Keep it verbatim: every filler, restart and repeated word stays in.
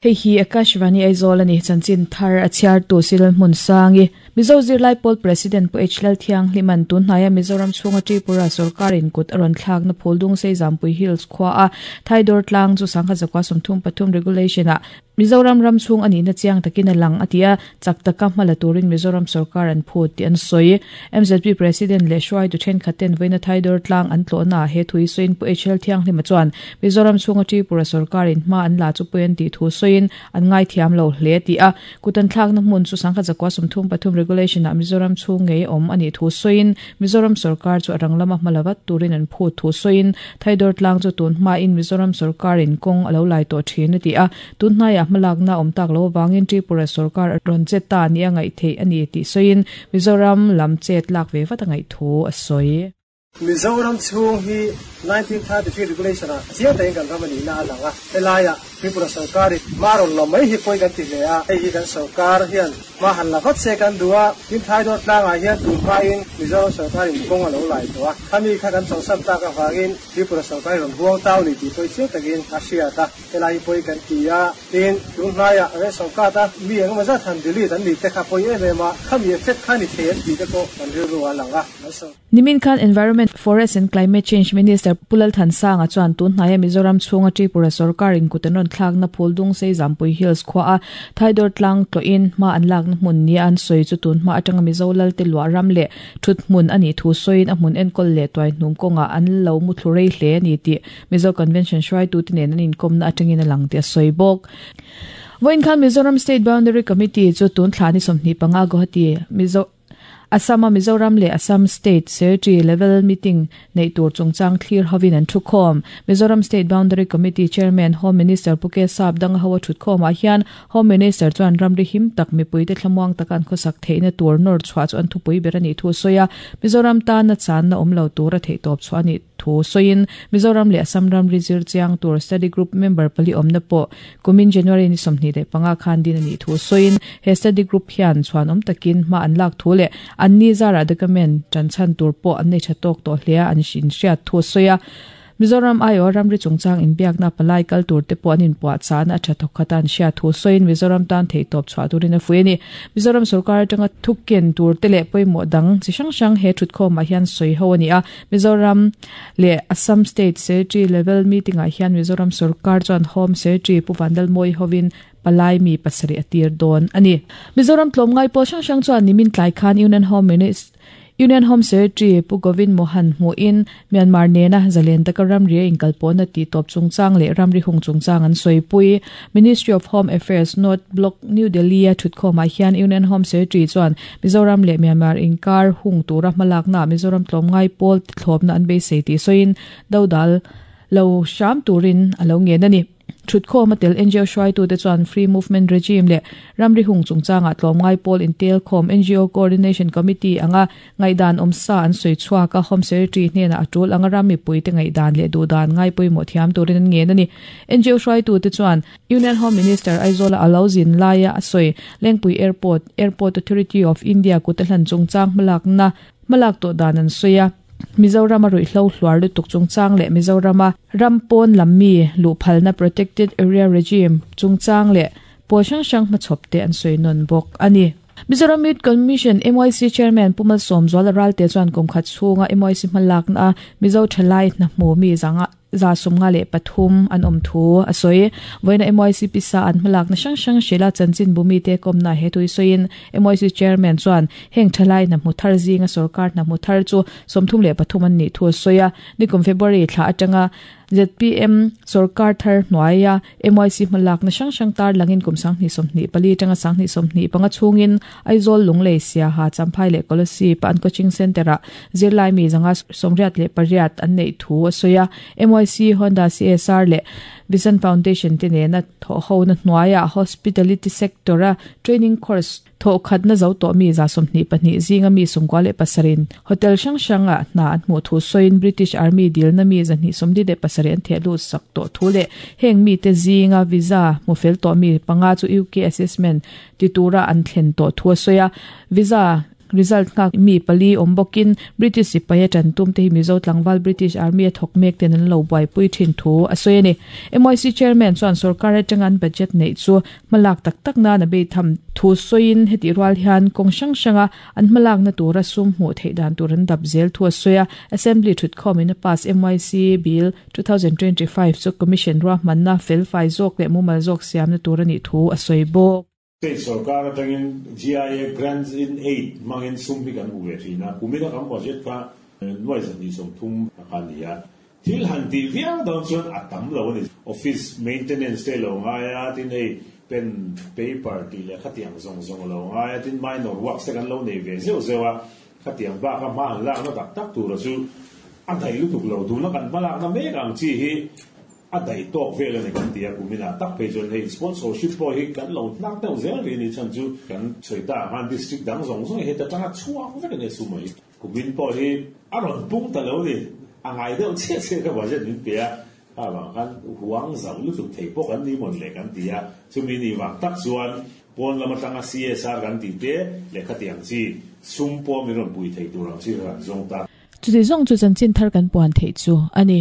Hei hi Akashvani Aizawl ani chanchin thar a chhiar tu sil hmun sangi Mizo Zirlai Pawl President Pu H Lalthiang Hliman tun hnaia Mizoram chhunga Tripura sarkar in kut a rawn thlakna Phuldung Sei Zampui Hills khua a Thaidawr tlang chu sangha zakua sawmthum pathum regulation ah Mizoram ram chhung ani na chiang takin a lang atia chak taka hmala turin Mizoram sarkar an phut ti an sawi M Z P President leh hruai tu thenkhat ten vawiina Thaidawr tlang an tlawhna he thui sawiin Pu H Lalthiang Hlima chuan Mizoram chhunga Tripura sarkar in hma an la chu pui an tih thu sawiin an ngai thiam lo hle ti a kutan thlakna hmun chu sangha zakua sawmthum pathum regulation ah Mizoram chhung ngei awm ani thu sawiin Mizoram sarkar chu a rang lama hmala vat turin an phut thu sawiin Thaidawr tlang chu tun hma in Mizoram sarkar in kawng a lo lai tawh thin a ti a tun hnaia hmalakna awm tak lo wangin Tripura sarkar a rawn che ta ni a ngaih theih ani tih sawiin Mizoram lam chet lak ve vat a ngaih thu a sawi. Mizoram chhung hi nineteen thirty-three regulation ah chiang takin kan ram ani na a lang a helaia Tripura sarkar maron lo mai hi pawh kan ti hle a hei hi kan sarkar hian ma han la vat se kan duh a tin Thaidawr tlangah hian tun hmain Mizoram sarkar in kawng a lo lai tawh a khami kha kan chawlhsan tak avangin Tripura sarkar rawn huang tau ni tih pawh chiang takin a hriat a helai hi pawh kan ti a tin tun hnaia ration card a mi engemaw zat han delete an ni te kha pawh em em a khami effect kha ni thei an tih te pawh kan rilru a lang a. Nimin Khan Environment, Forest and Climate Change Minister Pulal Thansanga chuan tun hnaia Mizoram chhunga Tripura sarkar in kut an rawn thlakna Phuldung Sei Zampui Hills khua a Thaidawr tlang tlawhin hma an lakna hmun ni an sawi chu tun hma atanga Mizo lal te luah ram leh thut hmun ani thu sawiin a hmun enkawl leh tuai hnum kawngah an lo mu thlu rei hle ani tih Mizo Convention hruaitu te nen an inkawmna atangin a lang tih a sawi bawk. Vawiin khan Mizoram State Boundary Committee chu tun thla ni sawmhnih panga Guwahati Mizo Assam Mizoram le Assam State Secretary Level Meeting nei tur chungchang thlir hovin an thukhawm Mizoram State Boundary Committee Chairman Home Minister Puke Sap dang hawa thutkhawm ah hian Home Minister chuan ramri him tak mipui te thlamuang takan khawsak theihna tur nor chhuah chu an thupui ber ani thu sawi a Mizoram tan na chan na awm lo tur a theih tawp chu ani thu sawiin Mizoram le Assam ramri zir chiang tur study group member pali awmna pawh kumin January ni sawmhnih leh panga khan din ani thu sawiin he study group hian chuan awm takin hma an lak thu leh an ni zara document chanchan tur pawh an nei tha tawk tawh hle a an hrin hriat thu sawi a Mizoram aio ramri chungchang inbiakna palai kal tur te pawh an inpuah chan a tha thawk khatan hriat thu sawiin Mizoram tan thei tawp chhuah turin a fui ani Mizoram sarkar atanga thukken tur te leh pawimawh dang chi hrang hrang he thutkhawmah hian sawi ho ani a Mizoram leh Assam State Secretary Level Meeting ah hian Mizoram sarkar chuan Home Secretary Pu Vandal Moi hovin palai mi pasarih a tir dawn ani Mizoram tlawmngai pawh hrang hrang chuan nimin tlai khan Union Home Minister Union Home Secretary Pu Govind Mohan hmuin Myanmar nena zalen taka ramri a inkalpawhna tih tawp chungchang leh ramri hung chungchang an sawi pui Ministry of Home Affairs North Block New Delhi a thutkhawmah hian Union Home Secretary chuan Mizoram leh Myanmar inkar hung tura hmalakna Mizoram tlawmngai pawl thlawpna an beisei tih sawiin dodal lo hram turin a lo ngen ani. Thutkhawm a tel N G O hruaitu te chuan Free Movement Regime leh ramri hung chungchangah tlawmngai pawl intel khawm N G O Coordination Committee anga ngaihdan awm sa an sawi chhuak a Home Secretary hnenah a tul anga ram mipui te ngaihdan leh duhdan ngai pawimawh thiam turin an ngen ani. N G O hruaitu te chuan Union Home Minister Aizawl a lo zin laia a sawi Lengpui Airport Airport Authority of India kut a hlan chungchang hmalakna hmalak tawh dan an sawi a Mizoram a ruihhlo hluar lutuk chungchang leh Mizoram a rampawn lam mi luhphalna Protected Area Regime chungchang leh pawl hrang hrang hmachhawp te an sawi nawn bawk ani. Mizoram Youth Commission M Y C Chairman Pumal Sawmzuala Ralte chuan kum khat chhunga M Y C hmalakna a Mizo thalai hna hmu mi zanga za sawmnga leh pathum an awm thu a sawi vawiina M Y C pisa an hmalakna hrang hrang hrila chanchin bumi te kawmna he tui sawiin M Y C Chairman chuan heng thalai hna hmu thar zinga sarkar hna hmu thar chu sawmthum leh pathum an nih thu a sawi a nikum February thla atanga Z P M sarkar thar hnuaia M Y C hmalakna hrang hrang tar langin kum sanghnih sawmhnih pali atanga sanghnih sawmhnih panga chhungin Aizawl Lunglei Siaha Champhai leh Kolasib an coaching center ah zirlai mi zanga sawmriat leh pariat an neih thu a sawi a M Y C Honda C S R leh Vision Foundation te nena thaw ho na hnuaia hospitality sector a training course thaw khat na zo tawh mi za sawmhnih pahnih zinga mi sawmkua leh pasarin hotel hrang hranga hna an hmuh thu sawiin British Army dil na mi zahnih sawmli leh pasarih an theh lut sak tawh thu leh heng mi te zinga visa hmu fel tawh mi panga chu U K assessment ti tura an thlen tawh thu a sawi a visa Result ngak mi pali ombokin British sipai tan tum te Mizo tlangwal British Army a thok mek ten an lo buai pui thin thu a sawi ani. M Y C chairman chuan sarkar atangan budget nei chu malak tak tak na na be tham thu soin heti rual hian kong sang sanga an malak na tura sum hmu thei dan tur an dap zel thu a soya. Assembly thut khom in a pass M Y C Bill twenty twenty-five chu commission ro manna fel fai zok le mumal zok siam na tur ani thu a soi bawk. State sarkar atangin G I A, grants in aid mangin sum hi kan uwe thina. Kumina kan budget kha nuai zani som thum kan nia. Thil han ti viau dawn chuan a tam lo ani. Office maintenance te lo ngaia tin, hei pen, paper ti le khatiang zong zong lo ngaia tin, minor works te kan lo nei ve zeu zewa khatiang ba kha ma han lak na tak tak tur chu a dai lu tuk lo du na kan malak na mek ang chi hi a dai tok vel ani kan tia. Kumina tak pe chon hei sponsorship po hi kan lo nak deuh zel ri ni. Chan chu kan soita han district dang zong zong he ta tanga chuang vek ne su mai. Kumin po hi a ron pung ta lo ni angai deuh che che ka budget min pe a a wang kan huang zau lu tuk thei pok an ni mon le kan tia. Chumi ni wang tak chuan pon lama tanga C S R kan ti te le khatiang chi sum po mi ron pui thei turang chi ran zong ta. Chu ti zong chu chan chin thar kan puan thei chu ani.